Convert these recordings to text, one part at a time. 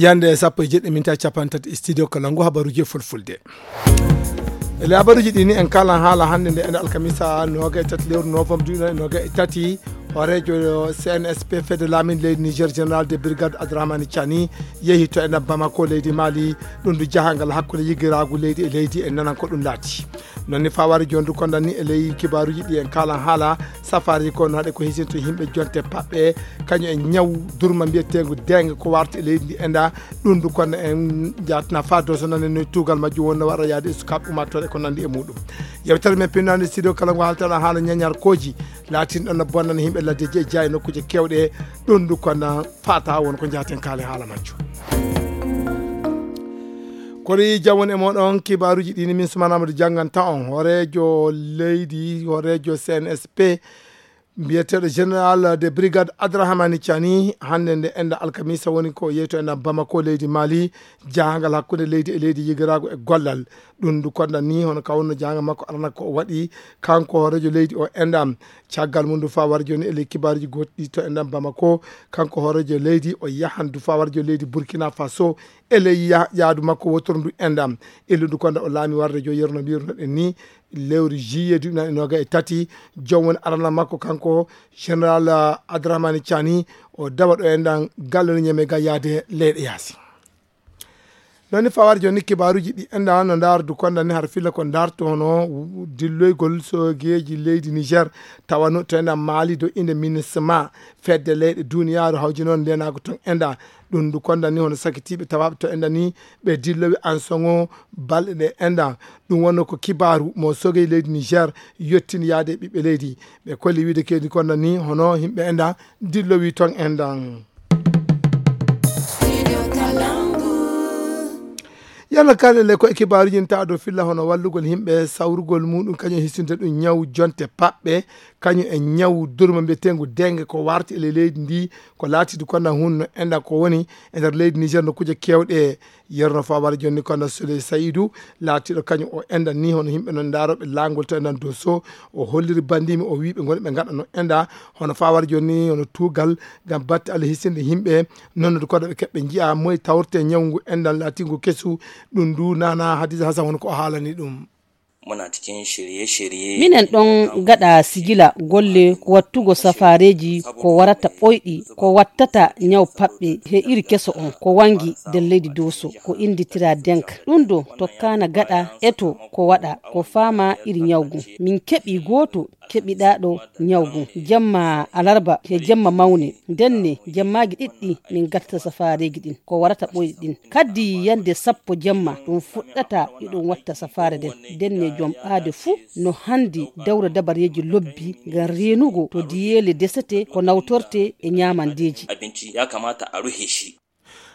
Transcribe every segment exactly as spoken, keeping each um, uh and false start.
Yande sappo e jeɗɗi minta capanɗe tati, studio Kalangu, habaruji e fulfulde. E le habaruji ɗi ni en kalan haala hannde nde ene alkamisa noga e tati lewru novembre duuɓi noga e tati. Hooreejo C N S P, fedde laamin leydi Niger, général de brigade Abdourahmane Tiani, yehi to ene Bamako, leydi Mali. Ɗum du jahangal hakkunde yigiraagu leydi e leydi, en nanan ko ɗum laati. Noon ni fawari joni du kondan ni e ley kibaaruji ɗi en kalan haala safari ko no haɗe ko hisinto yimɓe jonte paɓɓe, kañum e ñaw durma mbiyeteengu dengue ko warti e leydi ndi enda. Ɗum du konda en jatna fa doso nanen no tuugal majjum wonno waɗa yaade e sukaaɓe ummatore ko nandi e muɗum. Yewtere men pinnande studio kala ngo haaltana haala ñañarkooji laatin ɗon no bonnana yimɓe laddeji e jeya e nokkuuje kewɗe. Ɗum du konda fata won ko jaaten kaale haala majjum. Kono yi jam woni e moɗon, kibaaruji ɗi ni min Soumana Amadou jannganta on. Hooreejo leydi, hooreejo C N S P, mbiyeteeɗo général de brigade Abdourahmane Tiani, hannde nde enda alkamisa woni ko yeeto enda Bamako, leydi Mali, jahangal hakkunde leydi e leydi yigiraagu e gollal. Ɗum du konda ni hono ka wonno jahangal makko arana ko o waɗi, kanko hooreejo leydi o enda. Caggal mum du fa wari joni e ley kibaaruji goɗɗi to enda Bamako, kanko hooreejo leydi o yahan du fa wari joni leydi Burkina Faso, e ley ya-, yaadu makko wotoro ndu endam. E lundu konda o laami warde jo yerno mbirnoɗen ni, lewru juillet duuɓi nani noga e tati, joom woni arana makko kanko général, ah, Abdourahmane Tiani, o dawa ɗo endan galle no ñeme ga yaade leyɗe yaasi. Noon ni fawar joni kibaaruji ɗi enda no ndaar du konda ni har filla ko ndaarto hono dilloygol sogeji leydi Niger, tawa no to enda Mali do inde MINUSMA, fedde leyɗe duniyaaru hawji noon ndenago ton enda. Ɗum ndu konda ni hono sakitiiɓe tawaaɓe to enda ni ɓe dillowi ansoŋo balɗe ɗe enda. Ɗum wonno ko kibaaru mo sogey leydi Niger yottini yaade e ɓiɓɓe leydi. Ɓe kolli wiide kedi konda ni hono yimɓe enda dillowi ton enda. Yalla kala le ko e kibaaruji nta do filla hono wallugol yimɓe sawrugol muɗum kañum hisinde ɗum ñaw jonte paɓɓe, kañum e ñaw durma mbiyetengu dengue ko warti e ley leydi ndi. Ko laatiidu konda hunno enda ko woni e nder leydi Niger no kuje kewɗe. Yerno fawar jonni konda Souley Saïdou, laatiiɗo kañum o enda ni hono yimɓe non ndaroɓe langol to endan Dosso, o holliri bandimi o wiiɓe ngoni ɓe ngaɗa no enda hono fawar jonni hono tuugal ngam batte Allah hisinde yimɓe. Noon no koɗo ɓe keɓɓe njiya moye tawrte ñawngu endal laatingu kesu. Ɗum ndu nana Hadiza Hassan woni ko o haalani ɗum. Muna cikin shirye-shirye. Minen ɗon gaɗa sigila golle ko wattugo safaareeji ko warata ɓoyɗi, ko wattata ñaw paɓɓe he iri keso on, ko wangi nder leydi Doso, ko innditira denka. Ɗum ɗo tokkaana gaɗa eto ko waɗa, ko faama iri ñaw ngun. Min keɓi gooto keɓiɗaaɗo ñaw ngun. Jemma alarba he jemma mawne, ndenne jemmaaji ɗiɗɗi min gatta safaareeji ɗin. Ko warata ɓoyɗi ɗin. Kaddi yande sappo jemma ɗum fuɗɗata iɗum watta safaare nden. Ndenne jom ɓaade fuu no handi dawra dabareeji lobbi ngam reenugo to diyeele desete ko nawtorte e ñaamandeeji. Abinci ya kamata a rufe shi.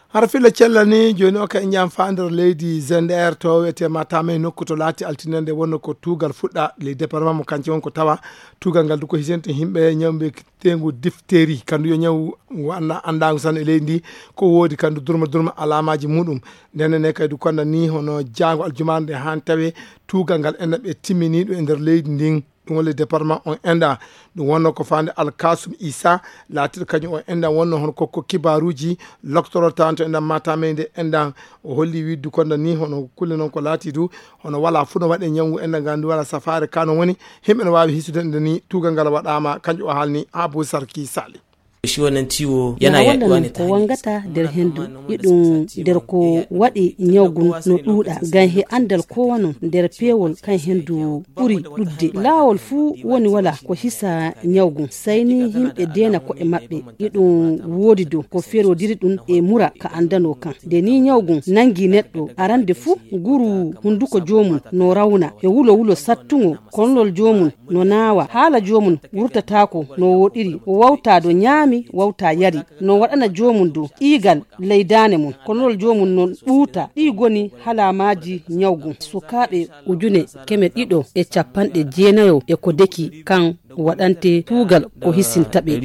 Hara filla cellal ni, jooni o ka en jam fa nder leydi Zender to wiyete Matam e nokku to laati altine nde wonno ko tuugal fuɗɗa ley département mo kanci won ko tawa tuugal ngal du ko hisente yimɓe ñawɓe tengu difteri kandu yo ñaw ngu anna andagu san e leydi ndi ko woodi kandu durma durma alamaji muɗum. Ndenne ne kay du konda ni hono jaango aljuma nde han tawe tuugal ngal enda ɓe timmini ɗum e nder leydi ndin. Ɗum woni département on enda. Ɗum wonno ko fande Alkasum Isa, laatiɗo kañum o enda wonno hono kokko kibaruji loktoro tanto enda Matam e nde enda. O holli widdu konda ni hono kulle non ko laati du hono wala fu no waɗe ñawngu enda ngandu wala safaare kano woni himɓe no wawi hisude nde ni tuugal ngal waɗama kanƴum o haalni Abou Sarki Sali. Shi wannan ciwo yana yaduwa ne ta hanyar iska. Ko wangata nder hendu iɗum nder ko waɗi ñawgun no ɗuuɗa ngam he andal ko wano nder peewol kan hendu ɓuri ɗudde. Laawol fuu woni wala ko hisa ñawgun sayni yimɓe deena ko'e maɓɓe. Iɗum woodi do ko ferodiri ɗum e mura ka andano kan. Nde ni ñawgun nangi neɗɗo arande fuu nguru hunduko joomum no rawna e wulo wulo sattungo. Konlol joomum no naawa, haala joomum wurtataako no wooɗiri, o wawta do ñaami, wawta yari. No waɗana joomum do ɗiigal ley daane mum, konlol joomum no ɓuuta. Ɗi goni halamaaji ñawgun. Sukaaɓe ujune keme ɗiɗo e capanɗe jeenayo e ko deki kan waɗante kuugal ko hisinta ɓe.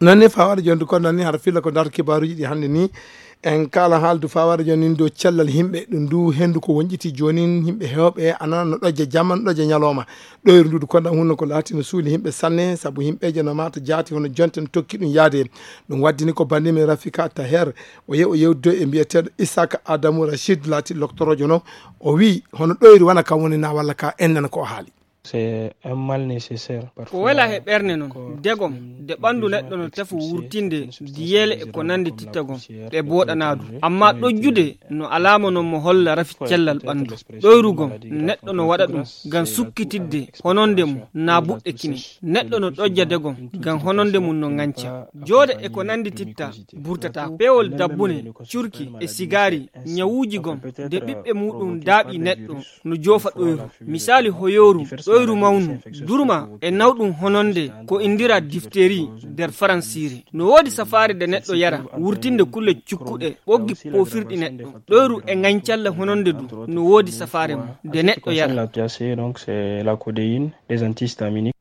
Noon ni fawade jonde kon noon ni hara filla ko darto kibaruji ɗi hannde ni. En kaala haaldu fawaade jooni dow cellal yimɓe, ɗum ndu henndu ko wonƴiti jooni, yimɓe heewɓe anana no ɗojja jamma, no ɗojja ñalooma. Ɗoyru ndu du konda hunno ko laati no suuli yimɓe sanne, sabu yimɓeeje no maata jaati hono jonte no tokki ɗum yaade. Ɗum waddini ko banndi men Rafika Taher, o yehi o yewdude e mbiyeteeɗo Isaka Adamu Rachid, laati loktoroojo no. O wii, hono ɗoyru wana kam woni na walla ka ennana ko o haali. C'est un mal nécessaire. Ko wela he ɓerne noon, degom, de ɓanndu neɗɗo no tefo wurtinde diyeele e ko nanndi tittagom, ɗe booɗanaa ɗum. Amma ɗojjude no alaama noon mo holla rafi cellal ɓanndu. Ɗoyrugom, neɗɗo no waɗa ɗum ngam sukkitidde hononde mum, naa buɗɗe kine. Neɗɗo no ɗojja degom ngam hononde mum no ŋanca. Joode e ko nanndi titta burtata. Peewol dabbune, curki e sigaari, ñawuuji gom, de ɓiɓɓe muuɗum daaɓi neɗɗo no joofa ɗoyru. Misaali hoyooru, ɗoyru mawnu, durma e nawɗum hononde ko indira difteri nder faransiire. No woodi safaare de neɗɗo yara, wurtinde kulle cukkuɗe, ɓoggi poofirɗi neɗɗo. Ɗoyru e ŋañcalle hononde du, no woodi safaare mum de neɗɗo yara. Donc, c'est la codéine, des antihistaminiques.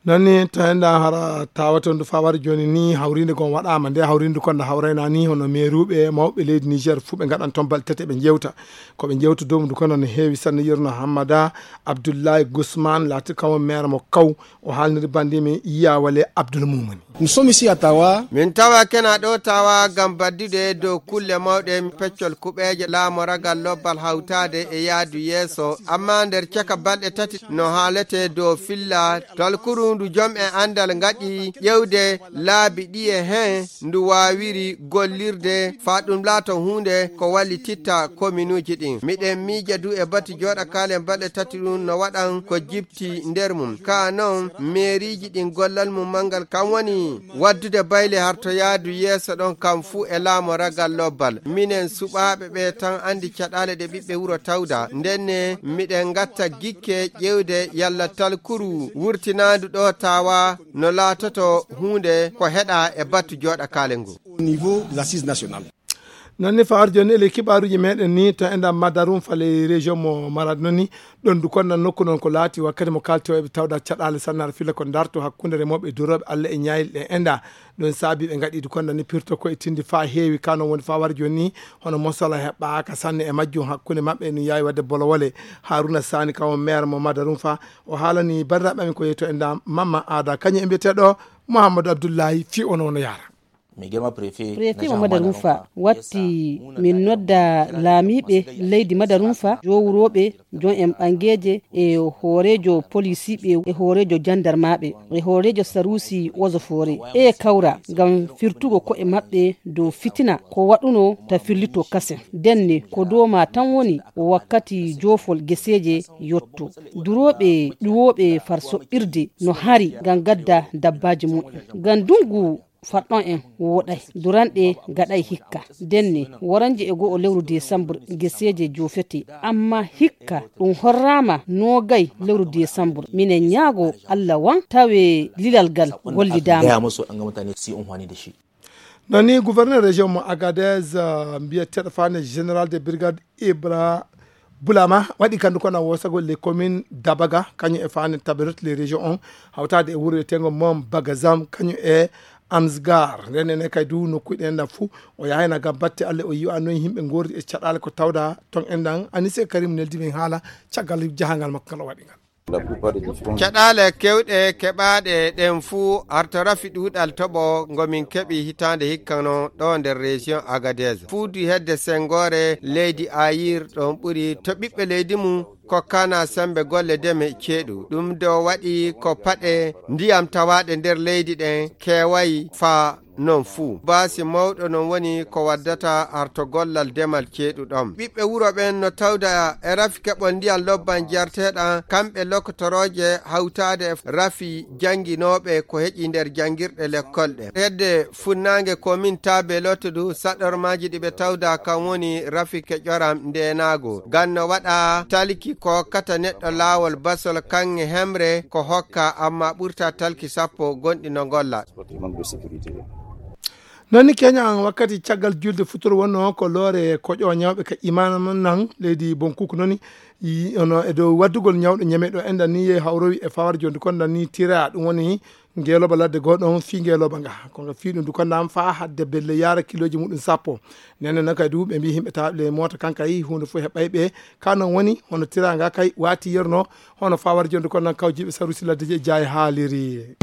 Noon ni to enɗa hara tawata ndu fawari jooni ni hawrinde kon waɗaama. Nde hawrinde kon nde hawrayna ni hono meeruuɓe mawɓe leydi Niger fuu ɓe ngaɗan toon balɗe tati ɓe njewta. Ko ɓe njewta dow mum ndu kono no heewi sanne. Yerno Hammada Abdoulaye Gusman laati kamo maire mo Kaw. O haalniri banndi mi Yawale Abdoul Mumuni. Nous sommes ici à Tawa. Min tawa kena ɗo Tawa ngam baddude dow kulle mawɗe peccol kuɓeeje laamoragal lobbal hawtaade e yaadu yeeso. Amma nder caka balɗe tati no haalete dow filla talkuru ndu jom e anndal ngaɗi ƴewde laabi ɗiye heen ndu waawiri gollirde faa ɗum laato huunde ko wallititta kominuuji ɗin. Miɗen miija du e batu jooɗakaale balɗe tati ɗum no waɗan ko jipti nder mum. Kaa non, meeriiji ɗin gollal mum manngal kan woni waddude bayle harto yaadu yeeso ɗon kan fuu e laamoragal lobbal. Minen suɓaaɓe ɓe tan anndi caɗaale ɗe ɓiɓɓe wuro tawda. Ndenne, miɗen ngatta gikke ƴewde yalla talkuru wurtinaandu ɗo Tawa no laatoto huunde ko heɗa e batu jooɗakaale ngu. Au niveau des assises nationales. Noon ni fawar jooni ele kibaaruuji meɗen ni to enda Madarum fale région mo Marad noon ni ɗon du konnan nokku noon ko laati wakkati mo kalti o eɓe tawda caɗaale sannar fila ko darto hakkunde remooɓe e durooɓe Alla e ñaayil ɗe enda. Ɗum saabi ɓe ngaɗi du konnan ni pirto ko e tindi faa heewi kano woni fawar jooni ni hono mosala heɓɓaaka sanne e majjum hakkunde maɓɓe no yaawi wadde bolowole. Haruna Sani kawo maire mo Madarum fa o haalani banndiraaɓe amin ko yeeto enda Mamma Aada kañum e mbiyeteeɗo Mouhamadou Abdoullahi fi ono no yaara. Préfet mo Madarunfa watti min nodda laamiiɓe leydi Madarunfa, jowrooɓe, jon en ɓangeeje e hooreejo polisiiɓe e hooreejo jandarmaaɓe e hooreejo saruusi ozo foore e kawra ngam firtugo ko'e maɓɓe dow fitina ko waɗuno ta firlito kasen. Denne ko dow ma tan woni wakkati joofol geseeje yotto. Durooɓe ƴuwooɓe far soɓɓirde no hari ngam gadda dabbaaji mu'en. Ngam ndungu farɗon en woɗay, duranɗe gaɗay hikka. Denne, woranje e go'o lewru desambur geseeje joofete, amma hikka ɗum horraama noogay lewru desambur. Minen ñaago Allah wan tawe lilal gal gollidaama. Noon ni gouverneur région mo Agadez, uh, mbiyeteeɗo fane général de brigade Ibra Bulama waɗi kandu kono wosagol les communes Dabaga kañum e fane Taberot les régions on hawtade e wuro etengo mom Bagazam kañum e Amsgar. Nden ene kay du nokkuɗe enɗan fuu o yahayna ngam batte Allah o yiwa noon yimɓe ngordi e caɗaale ko tawda ton enɗan. Anise Karim neldi min haala caggal jahangal makko ngal o waɗi ngal. Caɗaale kewɗe keɓaaɗe ɗen fuu arto rafi ɗuuɗal toɓo ngo min keɓi hitaande hikkano ɗo nder région Agadez. Fuudu hedde sengoore leydi Ayir ɗon ɓuri to ɓiɓɓe leydi mum ko kana sembe golle deme ceeɗu. Ɗum do waɗi ko paɗe ndiyam tawaaɗe nder leydi ɗen keeway faa non fuu. Baasi mawɗo non woni ko waddata arto gollal demal ceeɗu ɗon. Ɓiɓɓe wuro ɓen no tawda e rafi keɓol ndiyam lobban jarteɗan, kamɓe lokotorooje hawtaade e rafi jannginooɓe ko heƴi nder janngirɗe lekkol ɗe. Hedde funnaange komin Taabe Lotto du saɗormaaji ɗi ɓe tawda kan woni rafi keƴoram ndeenaago. Ngam no waɗa talki ko hokkata neɗɗo laawol basol kaŋŋe hemre ko hokka, amma ɓurta talki sappo gonɗi no ngolla. Noon ni keña an wakkati caggal julde futuro wonno ko loore koƴo ñawɓe ka imana nan leydi Bonkuku noon ni ono e dow waddugol ñawɗo ñame ɗo enɗan ni yehi hawrowi e fawar jondi kon ɗan ni tira ɗum woni Ngeelooba ladde goo ɗoon fii ngeelooba nga, ko nga fii ɗum du ko naam faa hadde belle yaara kilooji muɗum sappo. Nden noon kadi du ɓe mbii yimɓe tawaaɓe le moota kan kay huunde fof heɓay ɓe. Ka noon woni hono tiraanga kay waati yerno, hono faa wara jonde ko nan kawjiiɓe sarusi ladde je jaay haaliri.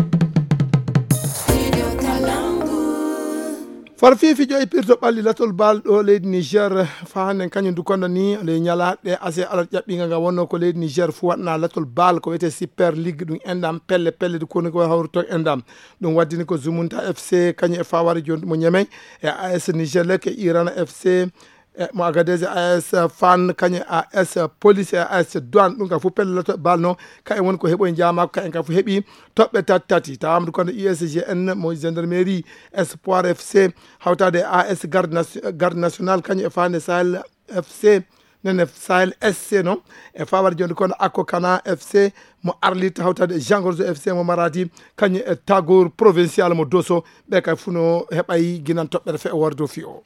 Far fii fijo e pirto ɓalli latol bal ɗo leydi Niger, faa hannde kañum du kono ni le ñalaaɗe ase alat ƴaɓɓinga nga wonno ko leydi Niger fu waɗna latol bal ko wiyetee Super League ɗum enɗam pelle pelle du kono ko hawruto enɗam. Ɗum waddini ko Zumunta F C kañum e faa wara jonde mo Ñemey e A S Niger Lek e Irana F C e mo Agadez e A S Fan kañum e A S Police e A S Douane ɗum ka fu pelle latol bal no ka en woni ko heɓoy jaamaako ka en ka fu heɓi toɓɓe tati tati. Tawa Amadou Kone U S G N mo gendarmerie, Espoir F C, hawtaade A S Garde Nation-, Garde Nationale, kañum e Fande Sahel F C, nene Sahel S C noon, e fawar jonde kono Akko Kana F C mo Arlit, hawtaade e Jean Gorzo F C mo Maradi, kañum e Tagour Provincial mo Dosso, ɓe kay funo heɓay ginan toɓɓere fe o wardo fi o.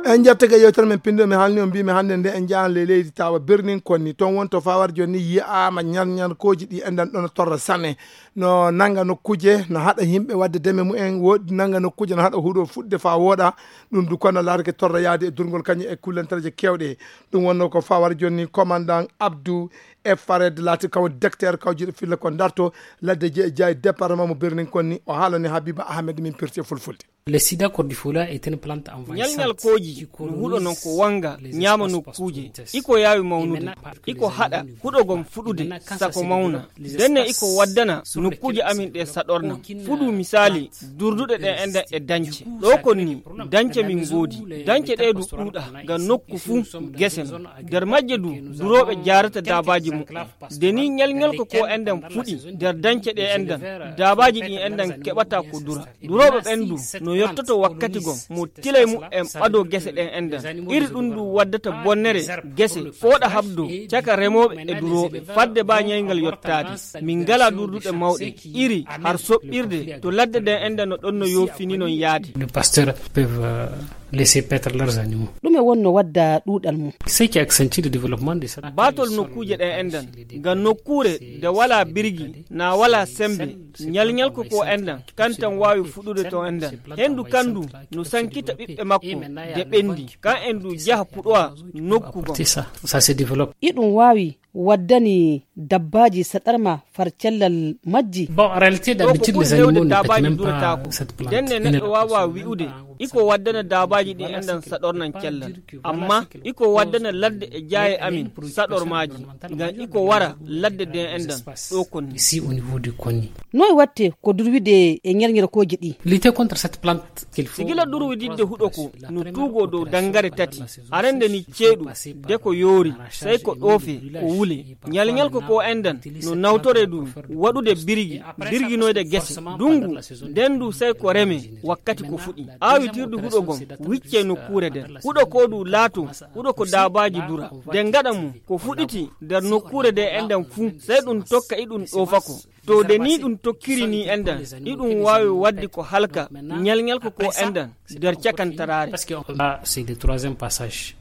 En njattake yewtere men pinndo, mi haalni on, mbiimi hannde nde en njahan le leydi tawa Berlin konni. Toon won to fawar jooni ni yiyaama ñarñarkooji ɗi enɗan ɗoon torra sane. No nannga nokkuuje, no haɗa yimɓe waɗde deme mumen, woodi nannga nokkuuje no haɗa huɗo fuɗde faa wooɗa. Ɗum du kono laarake torra yaade e durngol kañum e kullantareeje keewɗe. Ɗum wonno ko fawar jooni ni commandant Abdou e Fared laati kaw docteur kawjiiɗo filla ko darto ladde jeejaay département mo Berlin konni. O haalani Habiba Ahmed min pirti e fulfulde. Le sida cordiflua est une plante envahissante. Ñalñalkooji no huɗo non ko wanga ñaama nokkuuje. Iko yaawi mawnude. Iko haɗa huɗo gon fuɗude sako mawna. Denne iko waddana nokkuuje amin ɗe saɗorna. Fuɗu misaali durduɗe ɗen enɗan e dance. Ɗo kon ni dance min ngoodi. Dance ɗe du ɗuuɗa ga nokku fu gese no. Nder majje du durooɓe jaarata daabaaji muɓɓen. De ni ñalñalko ko enɗan fuɗi nder dance ɗe enɗan, daabaaji ɗin enɗan keɓata ko dura. Durooɓe ɓen du no yottoto wakkati gon mo tilay muɓɓen ɓado gese ɗen enɗan. Iri ɗum du waddata bonnere gese fooɗa habdo caka remooɓe e durooɓe. Fadde ba ñaygal yottaade, min ngala durduɗe mawɗe. Iri har soɓɓirde to ladde ɗen enɗan no ɗon no yoofini non yaade. Les pasteurs peuvent, euh, laisser paître leurs animaux. Ɗume wonno wadda ɗuuɗal mum? Ce qui accentue le développement de cette... Baatol nokkuuje ɗen enɗan, ngam nokkuure nde walaa birgi, na walaa sembe, ñalñalko ko enɗan, kan tan waawi fuɗude to enɗan. Henndu kan du no sankita ɓiɓɓe makko de ɓenndi, kan en du jaha puɗowa nokku gon. C'est ça, ça se développe. Iɗum waawi waddani dabbaaji saɗarma far cellal majji? Bon, en réalité, d'habitude, les animaux ne pètent même pas cette plante. Denne neɗɗo waawa wi'ude iko waddana daabaaji ɗin enɗan saɗornan cellal. Amma iko waddana ladde e jaaye amin saɗormaaji, ngam iko wara ladde ɗen enɗan ɗo konni. Ici, au niveau de Konni. Noy watte ko durwide e ñerñerkooji ɗi? Lutter contre cette plante qu'il faut... Sigila durwididde huɗo ko no tuugoo dow dangare tati. Arande ni ceeɗu, de ko yoori, sey ko ɗoofe, ko wule. Ñalñalko ko enɗan no nawtore ɗum waɗude birgi, birginoyde gese. Dungu, nden du sey ko reme wakkati ko fuɗi. Aawitirdu huɗo gon wicce nokkuure nden. Huɗo ko du laato, huɗo ko daabaaji dura. De ngaɗa mum, ko fuɗiti nder nokkuure nde enɗan fuu, sey ɗum tokka iɗum ɗoofa ko. To de ni ɗum tokkiri ni enɗan, iɗum waawi waɗde ko halka, ñalñalko ko enɗan, nder cakantaraare. Parce que on a, c'est le troisième passage.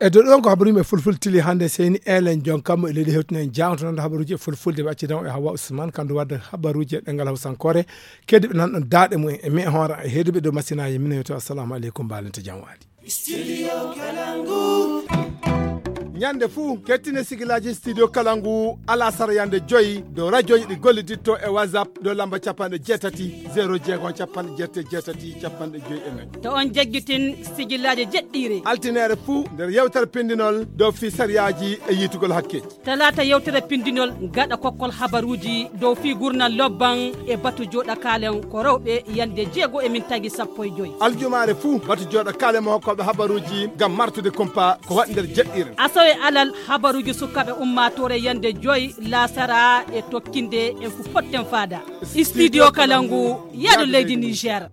E dow ɗon ko habaruuji e fulfulde tili hannde, seyni elen jon kammu e leydi hewtino en jaŋto noon habaruuji e fulfulde ɓe accidan o e Hawa Usman, kandu wadde habaruuji e ɗengal hawsankoore. Kedi ɓe nan ɗon daaɗe mumen e mi e hoore e heeduɓe dow masinaaji minen, yo to assalamu aleykum, mbaalente jam waali. Studio Kalangu. Ñande fuu, kettine sigilaaji Studio Kalangu, alasara yande joyi, dow rajoji ɗi golliditto e WhatsApp, dow lamba capanɗe jeetati, zéro jeegom, capanɗe jeetati, capanɗe joyi e nayi. To on jaggitin sigilaaji jeɗɗiire. Altinere fuu, nder yewtere pindinol, dow fii sariyaaji e yiitugol hakkeeji. Talaata yewtere pindinol gaɗa kokkol habaruuji dow fii gurnal lobban e batu jooɗa kaalen ko rewɓe yande jeego e min tagi sappo e joy. Aljumaare fuu batu jooɗa kaalen mo hokkooɓe habaruuji ngam martude kumpa ko waɗi nder jeɗɗiire. Asawe alal habaruuji sukaaɓe ummaatoore yande joy laasara e tokkinde en fu potten faada. Studio Kalangu, yaadu leydi Niger.